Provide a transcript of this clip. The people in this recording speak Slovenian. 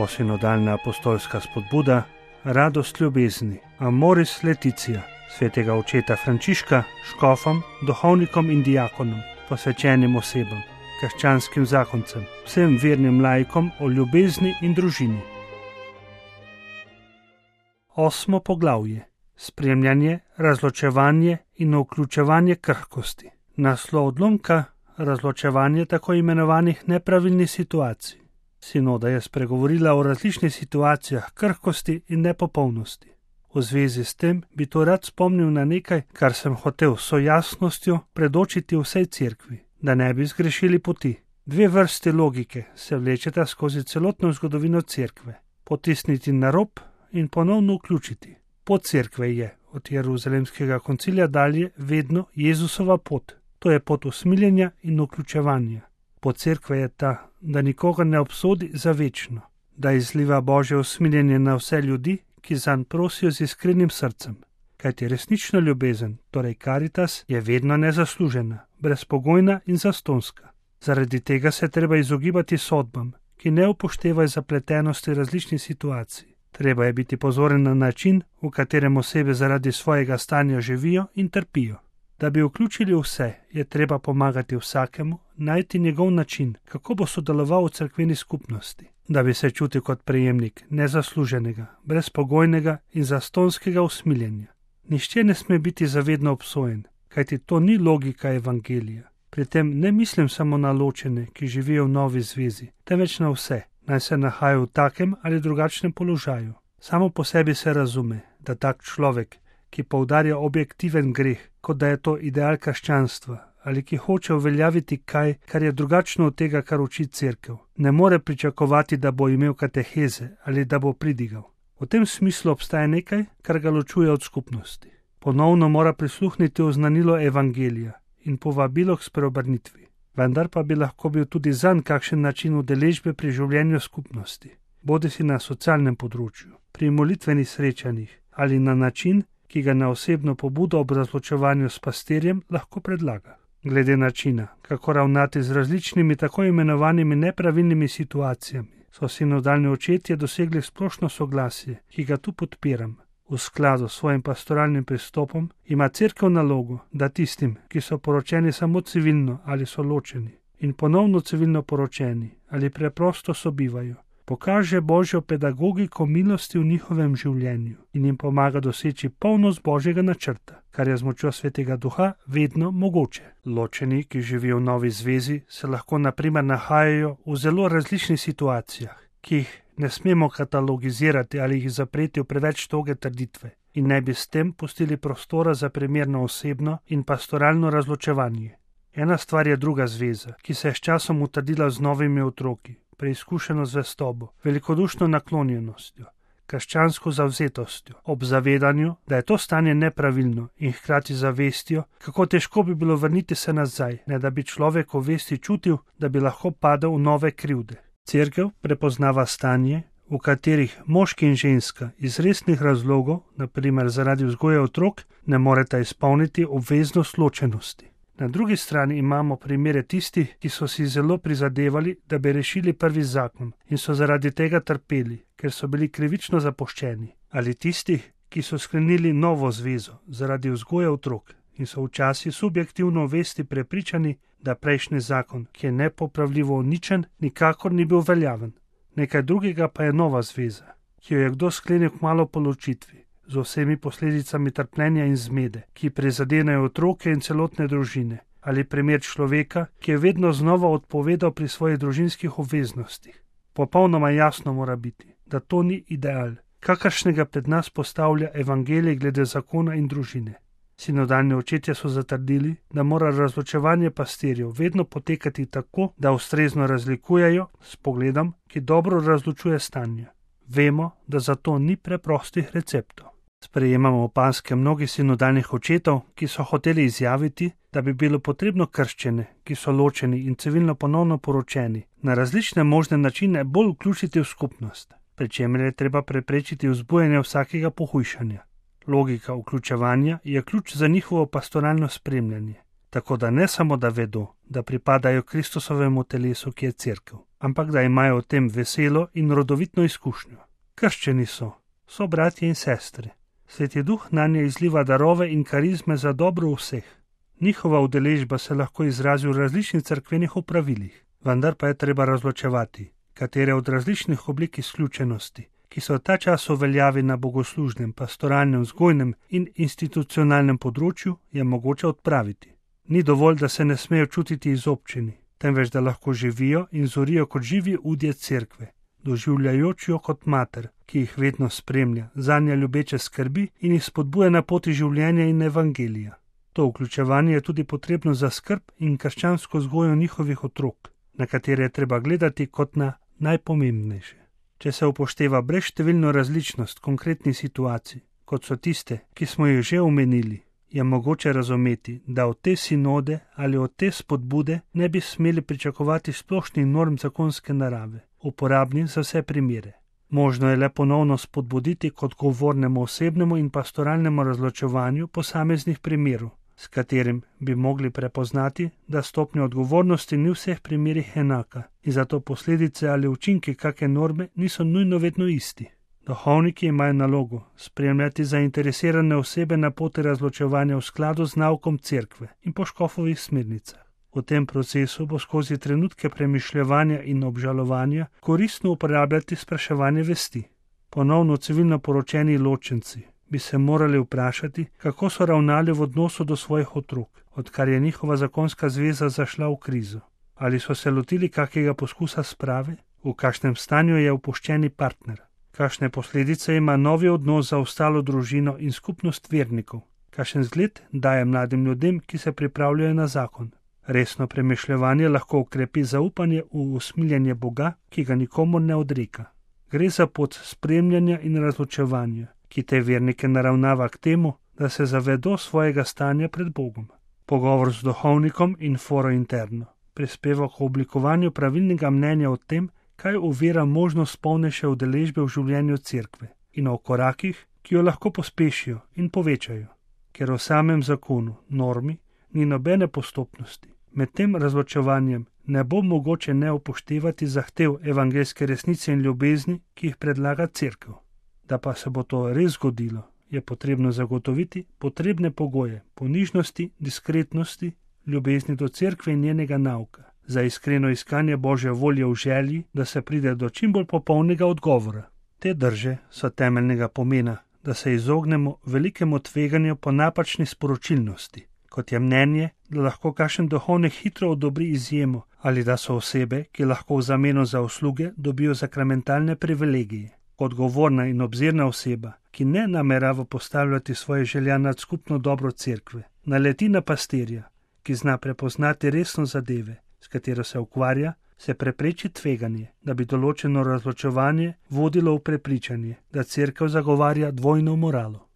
Posinodalna apostolska spodbuda, radost ljubezni, Amoris Laetitia, svetega očeta Frančiška, škofom, duhovnikom in diakonom, posvečenim osebam, krščanskim zakoncem, vsem vernim laikom o ljubezni in družini. 8. poglavje. Spremljanje, razločevanje in vključevanje krhkosti. Naslov odlomka: razločevanje tako imenovanih nepravilnih situacij. Sinoda je spregovorila o različnih situacijah krhkosti in nepopolnosti. V zvezi s tem bi to rad spomnil na nekaj, kar sem hotel s jasnostjo predočiti vsej cerkvi, da ne bi zgrešili poti. Dve vrsti logike se vlečeta skozi celotno zgodovino cerkve: potisniti na rob in ponovno vključiti. Pot cerkve je od Jeruzalemskega koncilija dalje vedno Jezusova pot. To je pot usmiljenja in vključevanja. Pot cerkve je ta, da nikoga ne obsodi za večno, da izliva Božje usmiljenje na vse ljudi, ki zanj prosijo z iskrenim srcem. Kajti resnična ljubezen, torej caritas, je vedno nezaslužena, brezpogojna in zastonska. Zaradi tega se treba izogibati sodbam, ki ne upoštevajo zapletenosti različnih situacij. Treba je biti pozoren na način, v katerem osebe zaradi svojega stanja živijo in trpijo. Da bi vključili vse, je treba pomagati vsakemu, najti njegov način, kako bo sodeloval v cerkveni skupnosti, da bi se čutil kot prejemnik nezasluženega, brezpogojnega in zastonskega usmiljenja. Nihče ne sme biti zavedno obsojen, kajti to ni logika evangelija. Pri tem ne mislim samo na ločene, ki živijo v novi zvezi, temveč na vse, naj se nahajajo v takem ali drugačnem položaju. Samo po sebi se razume, da tak človek, ki poudarja objektiven greh, kot da je to ideal krščanstva, ali ki hoče uveljaviti kaj, kar je drugačno od tega, kar uči cerkev, ne more pričakovati, da bo imel kateheze ali da bo pridigal. V tem smislu obstaja nekaj, kar ga ločuje od skupnosti. Ponovno mora prisluhniti oznanilo evangelija in povabilo k spreobrnitvi. Vendar pa bi lahko bil tudi zanj kakšen način udeležbe pri življenju skupnosti, bodisi na socialnem področju, pri molitvenih srečanjih ali na način, ki ga na osebno pobudo ob razločevanju s pastirjem lahko predlaga. Glede načina, kako ravnati z različnimi tako imenovanimi nepravilnimi situacijami, so sinodalni očetje dosegli splošno soglasje, ki ga tu podpiram. V skladu s svojim pastoralnim pristopom ima cerkev nalogo, da tistim, ki so poročeni samo civilno ali so ločeni in ponovno civilno poročeni ali preprosto sobivajo, pokaže Božjo pedagogiko milosti v njihovem življenju in jim pomaga doseči polnost Božjega načrta, kar je z močjo Svetega Duha vedno mogoče. Ločeni, ki živijo v novi zvezi, se lahko na primer nahajajo v zelo različnih situacijah, ki jih ne smemo katalogizirati ali jih zapreti v preveč toge trditve in ne bi s tem pustili prostora za primerno osebno in pastoralno razločevanje. Ena stvar je druga zveza, ki se je s časom utrdila z novimi otroki, preizkušeno zvestobo, velikodušno naklonjenostjo, krščansko zavzetostjo, ob zavedanju, da je to stanje nepravilno in hkrati zavestjo, kako težko bi bilo vrniti se nazaj, ne da bi človek v vesti čutil, da bi lahko padel v nove krivde. Cerkev prepoznava stanje, v katerih moški in ženska iz resnih razlogov, na primer zaradi vzgoje otrok, ne moreta izpolniti obveznost ločenosti. Na drugi strani imamo primere tistih, ki so si zelo prizadevali, da bi rešili prvi zakon in so zaradi tega trpeli, ker so bili krivično zapuščeni, ali tistih, ki so sklenili novo zvezo zaradi vzgoje otrok in so včasih subjektivno vesti prepričani, da prejšnji zakon, ki je nepopravljivo uničen, nikakor ni bil veljaven. Nekaj drugega pa je nova zveza, ki jo je kdo sklenil kmalu po ločitvi, z vsemi posledicami trpljenja in zmede, ki prizadenejo otroke in celotne družine, ali primer človeka, ki je vedno znova odpovedal pri svojih družinskih obveznostih. Popolnoma jasno mora biti, da to ni ideal, kakršnega pred nas postavlja evangelij glede zakona in družine. Sinodalni očetje so zatrdili, da mora razločevanje pastirjev vedno potekati tako, da ustrezno razlikujejo s pogledom, ki dobro razločuje stanje. Vemo, da za to ni preprostih receptov. Sprejemamo opaske mnogih sinodalnih očetov, ki so hoteli izjaviti, da bi bilo potrebno krščene, ki so ločeni in civilno ponovno poročeni, na različne možne načine bolj vključiti v skupnost, pri čemer je treba preprečiti vzbujanje vsakega pohujšanja. Logika vključevanja je ključ za njihovo pastoralno spremljanje, tako da ne samo da vedo, da pripadajo Kristusovemu telesu, ki je cerkev, ampak da imajo o tem veselo in rodovitno izkušnjo. Krščeni so bratje in sestre. Sveti Duh nanje izliva darove in karizme za dobro vseh. Njihova udeležba se lahko izrazi v različnih cerkvenih opravilih, vendar pa je treba razločevati, katere od različnih oblik izključenosti, ki so ta čas v veljavi na bogoslužnem, pastoralnem, vzgojnem in institucionalnem področju, je mogoče odpraviti. Ni dovolj, da se ne smejo čutiti izobčeni, temveč da lahko živijo in zorijo kot živi udje cerkve, doživljajoč jo kot mater, ki jih vedno spremlja, zanje ljubeče skrbi in jih spodbuja na poti življenja in evangelija. To vključevanje je tudi potrebno za skrb in krščansko vzgojo njihovih otrok, na katere je treba gledati kot na najpomembnejše. Če se upošteva brezštevilno različnost konkretnih situacij, kot so tiste, ki smo jih že omenili, je mogoče razumeti, da od te sinode ali od te spodbude ne bi smeli pričakovati splošnih norm zakonske narave, uporabnih za vse primere. Možno je le ponovno spodbuditi k odgovornemu osebnemu in pastoralnemu razločevanju posameznih primerov, s katerim bi mogli prepoznati, da stopnja odgovornosti ni v vseh primerih enaka in zato posledice ali učinki kake norme niso nujno vedno isti. Duhovniki imajo nalogo spremljati zainteresirane osebe na poti razločevanja v skladu z naukom cerkve in po škofovih smernicah. V tem procesu bo skozi trenutke premišljevanja in obžalovanja koristno uporabljati spraševanje vesti. Ponovno civilno poročeni ločenci bi se morali vprašati, kako so ravnali v odnosu do svojih otrok, odkar je njihova zakonska zveza zašla v krizo. Ali so se lotili kakega poskusa sprave? V kakšnem stanju je opuščeni partner? Kakšne posledice ima novi odnos za ostalo družino in skupnost vernikov? Kakšen zgled daje mladim ljudem, ki se pripravljajo na zakon? Resno premišljevanje lahko okrepi zaupanje v usmiljenje Boga, ki ga nikomur ne odreka. Gre za pot spremljanja in razločevanja, ki te vernike naravnava k temu, da se zavedo svojega stanja pred Bogom. Pogovor z duhovnikom in foro interno prispeva k oblikovanju pravilnega mnenja o tem, kaj ovira možnost polnejše udeležbe v življenju cerkve in o korakih, ki jo lahko pospešijo in povečajo. Ker v samem zakonu, normi, ni nobene postopnosti. Med tem razločevanjem ne bo mogoče ne upoštevati zahtev evangeljske resnice in ljubezni, ki jih predlaga cerkev. Da pa se bo to res zgodilo, je potrebno zagotoviti potrebne pogoje ponižnosti, diskretnosti, ljubezni do cerkve in njenega nauka, za iskreno iskanje Božje volje v želji, da se pride do čim bolj popolnega odgovora. Te drže so temeljnega pomena, da se izognemo velikemu tveganju po napačni sporočilnosti, kot je mnenje, da lahko kakšen duhovnik hitro odobri izjemo ali da so osebe, ki lahko v zameno za usluge dobijo sakramentalne privilegije. Odgovorna in obzirna oseba, ki ne namerava postavljati svoje želja nad skupno dobro cerkve, naleti na pastirja, ki zna prepoznati resno zadeve, s katero se ukvarja, se prepreči tveganje, da bi določeno razločevanje vodilo v prepričanje, da cerkev zagovarja dvojno moralo.